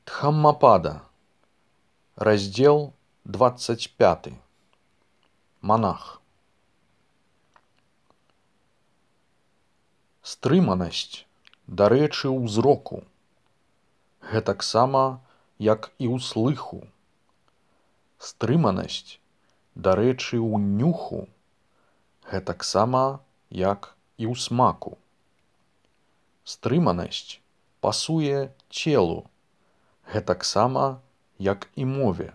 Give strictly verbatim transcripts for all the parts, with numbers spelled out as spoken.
Дхаммапада. Раздел двадцать пятый. Монах. Стрыманасць, дарэчы, ўзроку. Гэтаксама, як і ў слыху. Стрыманасць, дарэчы, ў нюху. Гэтаксама, як і ў смаку. Стрыманасць пасуе целу. Гэтаксама, як і мове.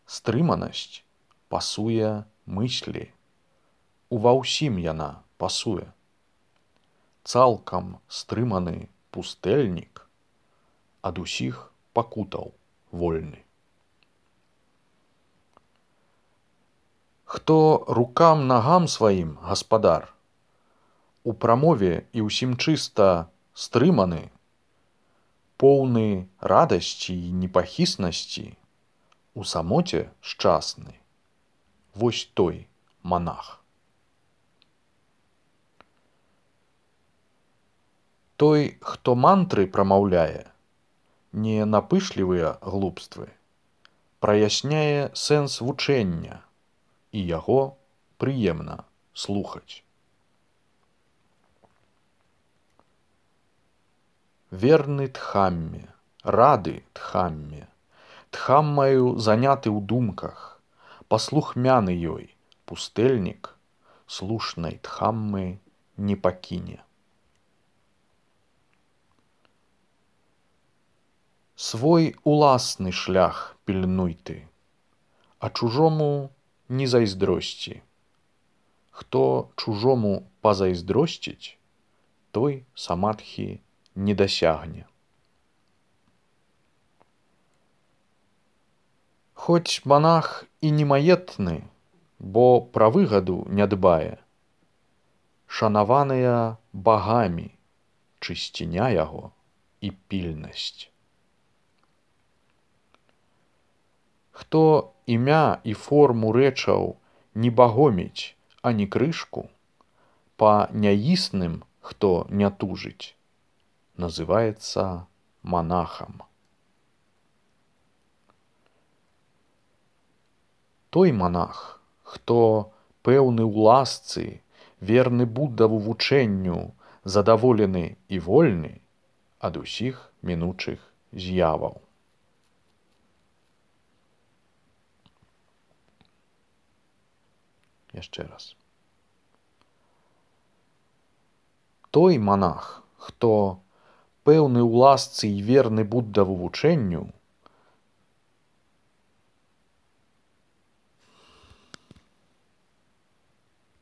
Стрыманасць пасуе мыслі. Ува ўсім яна пасуе. Цалкам стрыманы пустэльнік ад усіх пакутаў вольны. Хто рукам нагам сваім гаспадар, у прамове і ўсім чыста стрыманы, поўны радасці і непахіснасці, у самоце шчасны, вось той манах. Той, хто мантры прамаўляе, не напышлівыя глупствы, праясняе сэнс вучэння, і яго прыемна слухаць. Верны Дхамме, рады Дхамме, Дхаммаю заняты ў думках, паслухмяны ёй, пустэльнік слушнай Дхаммы не пакіне. Свой уласны шлях пільнуй ты, а чужому не зайздросці. Хто чужому пазайздросціць, той самадхі не дасягне. Хоць манах і не маетны, бо пра выгаду не дбае, шанаваныя багамі чысціня яго і пільнасць. Хто імя і форму рэчаў не багоміць, ані крышку, па няісным, хто не тужыць, называецца манахам. Той манах, хто пэўны ў ласцы, верны Буддаву вучэнню, задаволены і вольны ад усіх мінучых з'яваў. Яшчэ раз. Той манах, хто пэўны ў ласцы і верны Буддаву вучэнню,